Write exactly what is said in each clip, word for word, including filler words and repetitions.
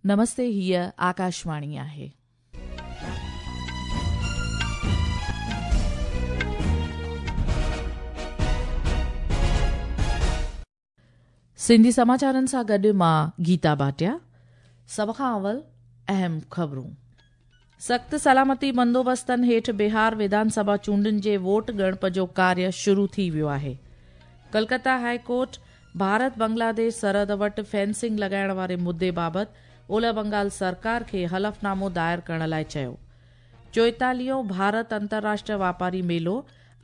नमस्ते, हीअ आकाशवाणी आहे। सिंधी समाचारनि सां गॾु मां गीता भाटिया। सभ खां अवल अहम ख़बरूं। सख़्त सलामती बंदोबस्तनि हेठि बिहार विधानसभा चूंडुनि जे वोट ॻणप जो कार्य शुरू थी वियो आहे। कलकत्ता हाई कोर्ट भारत बांग्लादेश सरहद वटि फेंसिंग लॻाइण वारे मुद्दे बाबति ओलह बंगाल सरकार खे हलफनामो दायर करण लाइ चयो। चोएतालीहों भारत अंतर्राष्ट्रीय वापारी मेलो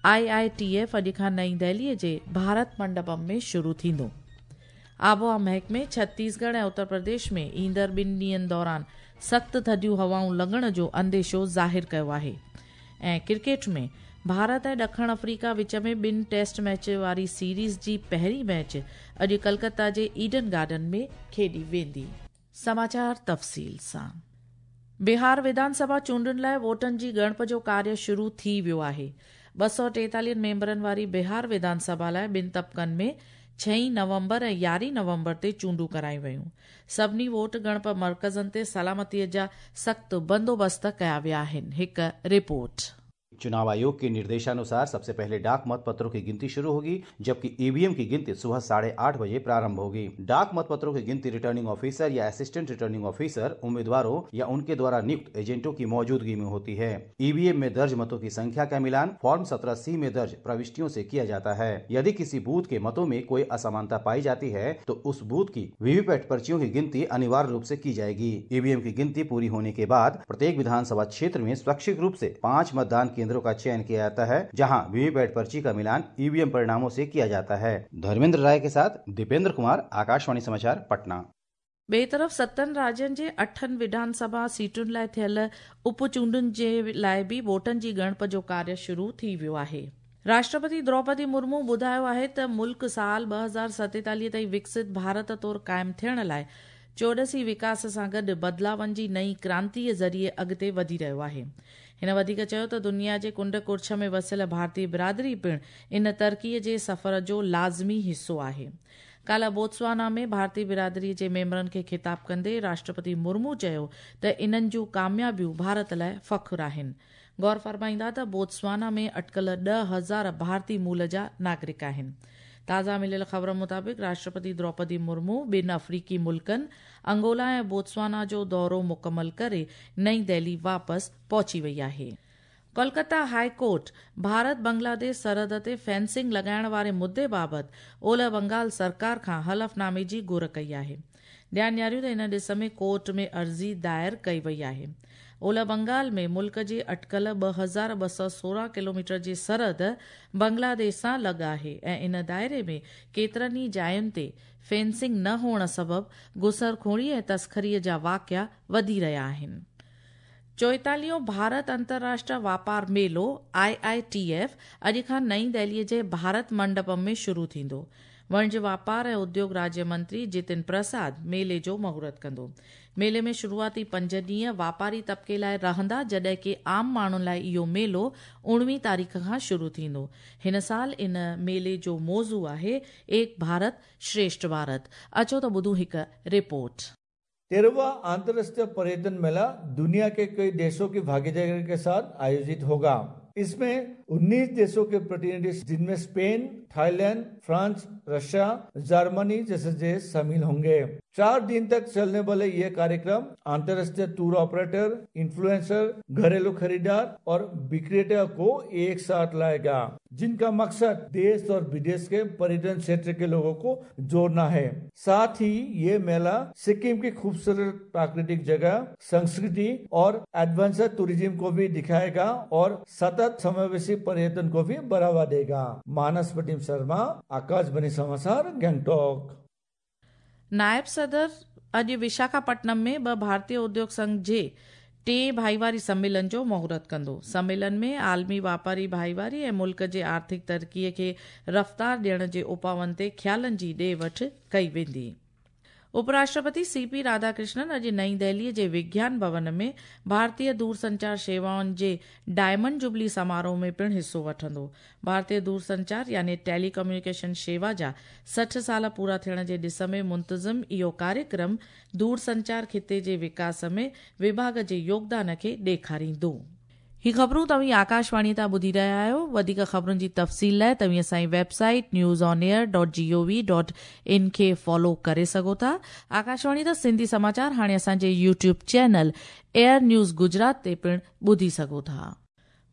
आई I T F अॼु खां नई दिल्लीअ जे भारत मंडपम में शुरू थींदो। आबोहवा महकमे छत्तीसगढ़ ऐं उत्तर प्रदेश में ईंदड़ ॿिनि ॾींहंनि दौरान सख़्त थधियूं हवाऊं लॻण जो अंदेशो ज़ाहिर कयो आहे। ऐं क्रिकेट में भारत ऐं ॾखण अफ्रीका विच में ॿिनि टेस्ट मैच वारी सीरीज़ जी पहिरीं मैच अॼु कलकत्ता जे ईडन गार्डन में खेॾी वेंदी। समाचार तफ़सील सां। बिहार विधानसभा चूंडुनि लाइ वोटनि जी ॻणप जो कार्य शुरू थी वियो आहे। ॿ सौ टेतालीहनि मेंबरनि वारी बिहार विधानसभा लाइ ॿिनि तबक़नि में छह नवंबर ऐं यारहीं नवंबर ते चूंडूं करायूं वयूं। सभिनी वोट ॻणप मर्कज़नि ते सलामतीअ जा सख़्त बंदोबस्त कया विया आहिनि। हिकु रिपोर्ट। चुनाव आयोग के निर्देशानुसार सबसे पहले डाक मत पत्रों की गिनती शुरू होगी, जबकि ईवीएम की गिनती सुबह साढ़े आठ बजे प्रारंभ होगी। डाक मत पत्रों की गिनती रिटर्निंग ऑफिसर या असिस्टेंट रिटर्निंग ऑफिसर, उम्मीदवारों या उनके द्वारा नियुक्त एजेंटों की मौजूदगी में होती है। ईवीएम में दर्ज मतों की संख्या का मिलान फॉर्म सत्रह सी में दर्ज प्रविष्टियों से किया जाता है। यदि किसी बूथ के मतों में कोई असमानता पाई जाती है तो उस बूथ की वीवीपैट पर्चियों की गिनती अनिवार्य रूप से की जाएगी। ईवीएम की गिनती पूरी होने के बाद प्रत्येक विधानसभा क्षेत्र में स्वैच्छिक रूप से पाँच मतदान केंद्रों का चयन किया जाता है, जहां वीवीपैट पर्ची का मिलान ईवीएम परिणामों से किया जाता है। धर्मेंद्र राय के साथ दीपेंद्र कुमार, आकाशवाणी समाचार, पटना। ॿिए तरफ़ सतनि राज्यनि जे अठनि विधानसभा सीटुनि लाइ थियल उप चूंडुनि जे लाइ बि वोटनि जी ॻणप जो कार्य शुरू थी वियो आहे। राष्ट्रपति द्रौपदी मुर्मू ॿुधायो आहे त मुल्क साल ॿ हज़ार सतेतालीह ताईं विकसित भारत तौर क़ाइमु थियण लाइ चौॾसी विकास सां गॾु बदिलावनि जी नई क्रांतीअ ज़रिए अॻिते वधी रहियो आहे। हिन वधीक चयो त दुनिया जे कुंड कुर्छ में वसियल भारतीय बिरादरी पिणु इन तरक़ीअ जे सफ़र जो लाज़मी हिसो आहे। काल्ह बोत्सवाना में भारतीय बिरादरीअ जे मेंबरनि खे ख़िताब कंदे राष्ट्रपति मुर्मू चयो त इन्हनि जूं कामयाबियूं भारत लाइ फ़ख्र आहिनि। गौर फरमाईंदा त बोत्सवाना में अटकल ॾह हज़ार भारतीय मूल जा नागरिक आहिनि। ताज़ा मिलियल ख़बर मुताबिक़ राष्ट्रपति द्रौपदी मुर्मू ॿिनि अफ्रीकी मुल्कनि अंगोला ऐं बोत्सवाना जो दौरो मुकमल करे नई दिल्ली वापसि पहुची वई आहे। कोलकाता हाई कोर्ट भारत बांग्लादेश सरहद ते फेंसिंग लॻाइण वारे मुद्दे बाबति ओलह बंगाल सरकार खां हलफनामे जी घुर कई आहे। ध्यानु ॾियारियूं त इन ॾिस में कोर्ट में अर्ज़ी दायर कई वई आहे। ओलह बंगाल में मुल्क जे अटकल ॿ हज़ार ॿ सौ सोरहं किलोमीटर जी सरहद बांग्लादेश सां लॻ आहे ऐं इन दायरे में केतिरनि ई जायुनि ते फेंसिंग न हुअण सबबु घुसरखोरी ऐं तस्करीअ जा वाक़िया वधी रहिया आहिनि। चोएतालीहों भारत अंतर्राष्ट्रीय वापार मेलो आई I T F अॼु खां नई दिल्लीअ जे भारत मंडपम में शुरू थींदो। वणिज वापार ऐं उद्योग राज्य मंत्री जितिन प्रसाद मेले जो मुहूर्त कंदो। मेले में शुरूआती पंज ॾींहं वापारी तबिके लाइ रहंदा, जॾहिं की आम माण्हुनि लाइ इहो मेलो उणिवीह तारीख़ खां शुरू थींदो। हिन साल इन मेले जो मौज़ू आहे एक भारत श्रेष्ठ भारत। अचो त ॿुधूं हिकु रिपोर्ट। तेरहवां अंतर्राष्ट्रीय पर्यटन मेला दुनिया के कई देशों की भागीदारी के साथ आयोजित होगा। इसमें उन्नीस देशों के प्रतिनिधि, जिनमें Spain, Thailand, France, Russia, Germany जैसे देश शामिल होंगे। चार दिन तक चलने वाले ये कार्यक्रम अंतर्राष्ट्रीय टूर ऑपरेटर, इन्फ्लुएंसर, घरेलू खरीदार और विक्रेता को एक साथ लाएगा, जिनका मकसद देश और विदेश के पर्यटन क्षेत्र के लोगों को जोड़ना है। साथ ही ये मेला सिक्किम की खूबसूरत प्राकृतिक जगह, संस्कृति और एडवेंचर टूरिज्म को भी दिखाएगा और सतत समावेशी पर्यटन को भी बढ़ावा देगा। मानस प्रतिम शर्मा, आकाशवाणी समाचार, गैंगटॉक। नायब सदर अॼु विशाखापट्टनम में ॿ भारतीय उद्योग संघ जे टे भाईवारी सम्मेलन जो मुहूर्त कंदो। सम्मेलन में आलमी वापारी भाईवारी ऐं मुल्क जे आर्थिक तरक़ीअ खे रफ़्तार ॾियण जे उपाउनि ते ख़्यालनि जी ॾे वठि कई वेंदी। उपराष्ट्रपति सीपी राधाकृष्णन अॼु नई दिल्लीअ जे विज्ञान भवन में भारतीय दूरसंचार शेवाउनि जे डायमंड जुबली समारोह में पिणु हिसो वठंदो। भारतीय दूरसंचार यानी टेलीकम्युनिकेशन शेवा जा सठि साल पूरा थियण जे ॾिस में मुंतज़िम इहो कार्यक्रम दूरसंचार खिते जे विकास में विभाग जे योगदान खे ॾेखारींदो। ही ख़बरूं तव्हीं आकाशवाणी तां ॿुधी रहिया आहियो। वधीक ख़बरुनि जी तफ़सील लाइ तव्हीं असांजी website news on air dot G O V dot in खे फॉलो करे सघो था। आकाशवाणी तां सिंधी समाचार हाणे असांजे YouTube channel Air News Gujarat ते पिणु ॿुधी सघो था।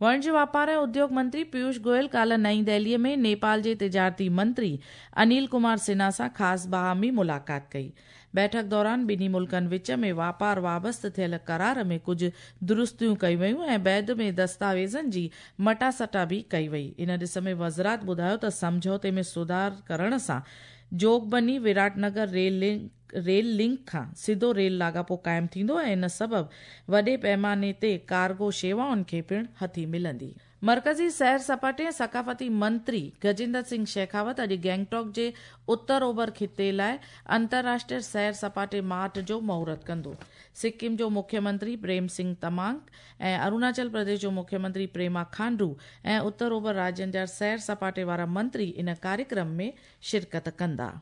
वणिज वापार ऐं उद्योग मंत्री पीयूष गोयल काल्ह नई दिल्लीअ में नेपाल जे तिजारती मंत्री अनिल कुमार सिन्हा सां ख़ासि बाहमी मुलाक़ात कई। बैठक दौरान ॿिन्ही मुल्कनि विच में वापार वाबस्त थियल करार में कुझु दुरुस्तियूं कयूं वयूं ऐं बैद में दस्तावेज़नि जी मटासटा बि कई वई। इन ॾिस में वज़ारत ॿुधायो त सम्झौते में सुधार करण सां Jogbani Biratnagar rail link rail link खां सिधो रेल लाॻापो क़ाइमु थींदो ऐं इन सबबु वॾे पैमाने ते कार्गो शेवाउनि खे पिणु हथी मिलंदी। मरकज़ी सैर सपाटे ऐं सकाफ़ती मंत्री गजेंद्र सिंह शेखावत अॼु गैंगटॉक जे उत्तर ओभर खिते लाइ अंतर्राष्ट्रीय सैर सपाटे मार्ट जो मुहूर्त कंदो। सिक्किम जो मुख्यमंत्री प्रेम सिंह तमांग ऐं अरुणाचल प्रदेश जो मुख्यमंत्री प्रेमा खांडू ऐं उत्तर ओभर राज्यनि जा सैर सपाटे वारा मंत्री इन कार्यक्रम में शिरकत कंदा।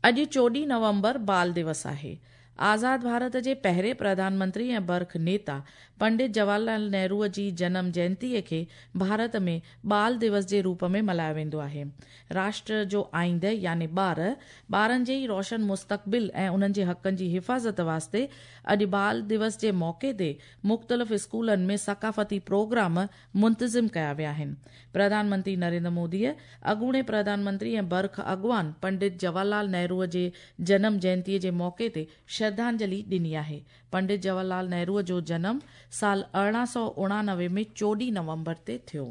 अॼु चोॾहिं नवंबर बाल दिवस आहे। आज़ाद भारत जे पहिरें प्रधानमंत्री ऐं बर्ख नेता पंडित जवाहरलाल नेहरूअ जी जनम जयंतीअ खे भारत में बाल दिवस जे रूप में मल्हायो वेंदो आहे। राष्ट्र जो आइंदे यानी ॿार, ॿारनि जे ई रोशन मुस्तक़बिल ऐं उन्हनि जे हक़नि जी हिफ़ाज़त वास्ते अॼु बाल दिवस जे मौक़े ते मुख़्तलिफ़ स्कूलनि में सकाफ़ती प्रोग्राम मुंतज़िम कया विया आहिनि। प्रधानमंत्री नरेंद्र मोदीअ अॻूणे प्रधानमंत्री ऐं बर्ख अॻवान पंडित जवाहरलाल नेहरूअ जे जनम जयंतीअ जे मौक़े ते श्रद्धांजलि ॾिनी आहे। पंडित जवाहरलाल नेहरूअ जो जनम साल अरिड़हं सौ उणानवे में चोॾहिं नवंबर ते थियो।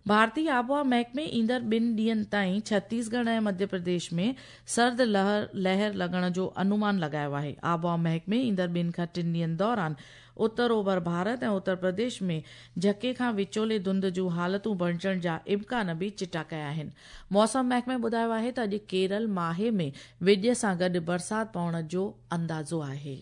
भारतीय आबहावा महकमे ईंदड़ ॿिनि ॾींहनि ताईं छत्तीसगढ़ ऐं मध्य प्रदेश में सर्द लहर लहर लॻण जो अनुमान लॻायो आहे। आबहावा महकमे ईंदड़ ॿिनि खां टिनि ॾींहनि दौरान उत्तर ओभर भारत ऐं उत्तर प्रदेश में झके खां विचोले धुंध जूं हालतूं बणिजण जा इम्कान बि चिटा कया आहिनि। मौसम महकमे ॿुधायो आहे त अॼु केरल माहे में विॼ सां गॾु बरसाति पवण जो अंदाज़ो आहे।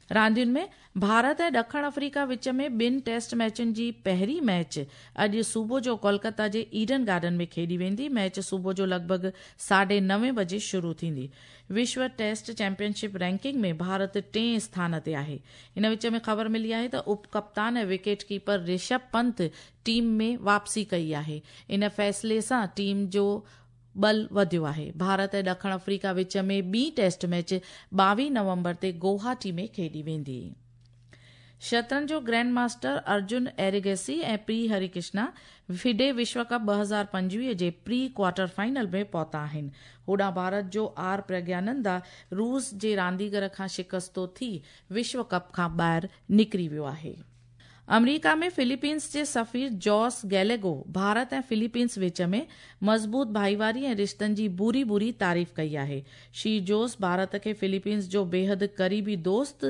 रांदियुनि में भारत ऐं ॾखण अफ्रीका विच में ॿिनि टेस्ट मैचुनि जी पहिरीं मैच अॼु सुबुह जो कोलकाता जे ईडन गार्डन में खेॾी वेंदी। मैच सुबुह जो लॻभॻि साढे नवे बजे शुरू थींदी। विश्व टेस्ट चैंपियनशिप रैंकिंग में भारत टें स्थान ते आहे। इन विच में ख़बर मिली आहे त उप कप्तान ऐं wicket keeper Rishabh Pant team में वापसी कई आहे। इन फ़ैसिले सां टीम जो बल वधियो आहे। भारत ऐं ॾखण अफ्रीका विच में ॿी टेस्ट मैच ॿावीह नवंबर ते गुवाहाटी में खेॾी वेंदी। शतरंज जो ग्रैंड मास्टर अर्जुन एरिगेसी ऐं पी हरिकृष्णा फिडे विश्व कप ॿ हज़ार पंजवीह जे प्री क्वार्टर फाइनल में पहुता आहिनि। होॾां भारत जो are Praggnanandhaa रूस जे रांदीगर खां शिकस्तो थी विश्व कप खां ॿाहिरि निकिरी वियो आहे। अमरीका में फिलीपींस जे सफ़ीर जॉस गैलेगो भारत ऐं फिलीपींस विच में मज़बूत भाईवारी ऐं रिश्तनि जी बुरी बुरी तारीफ़ कई आहे। श्री जोस भारत खे फिलीपींस जो बेहद क़रीबी दोस्त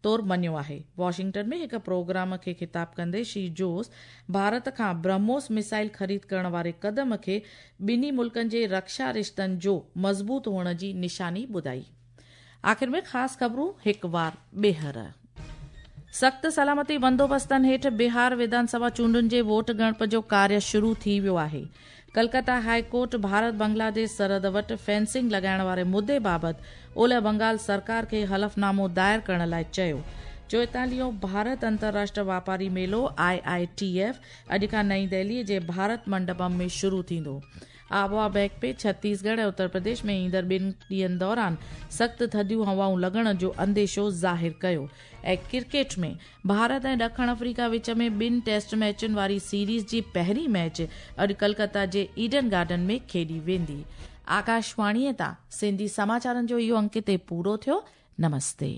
तौर मञियो आहे। वॉशिंगटन में हिकु प्रोग्राम खे ख़िताब कंदे श्री जोस भारत खां ब्रह्मोस मिसाइल ख़रीद करण वारे क़दम खे ॿिन्ही मुल्कनि जे रक्षा रिश्तनि जो मज़बूत हुअण जी निशानी ॿुधाई। आख़िर में ख़ासि ख़बरूं हिकु वार ॿीहर। सख़्त सलामती बंदोबस्तनि हेठि बिहार विधानसभा चूंडुनि जे वोट ॻणप जो कार्य शुरू थी वियो आहे। कलकत्ता हाई कोर्ट भारत बांग्लादेश सरहद वटि फेंसिंग लॻाइण वारे मुद्दे बाबति ओलह बंगाल सरकार खे हलफनामो दायर करण लाइ चयो। चोएतालीहों भारत अंतर्राष्ट्रीय वापारी मेलो आई I T F अॼु खां नई दिल्लीअ जे भारत मंडपम में शुरू थींदो। आबहावा महकमे छत्तीसगढ़ ऐं उत्तर प्रदेश में ईंदड़ ॿिनि ॾींहनि दौरान सख़्तु थधियूं हवाऊं लॻण जो अंदेशो ज़ाहिर कयो। ऐं क्रिकेट में भारत ऐं ॾखण अफ्रीका विच में ॿिनि टेस्ट मैचुनि वारी सीरीज़ जी पहिरीं मैच अॼु कलकत्ता जे ईडन गार्डन में खेॾी वेंदी। आकाशवाणीअ तां सिंधी समाचारनि जो इहो अंक हिते पूरो थियो। नमस्ते।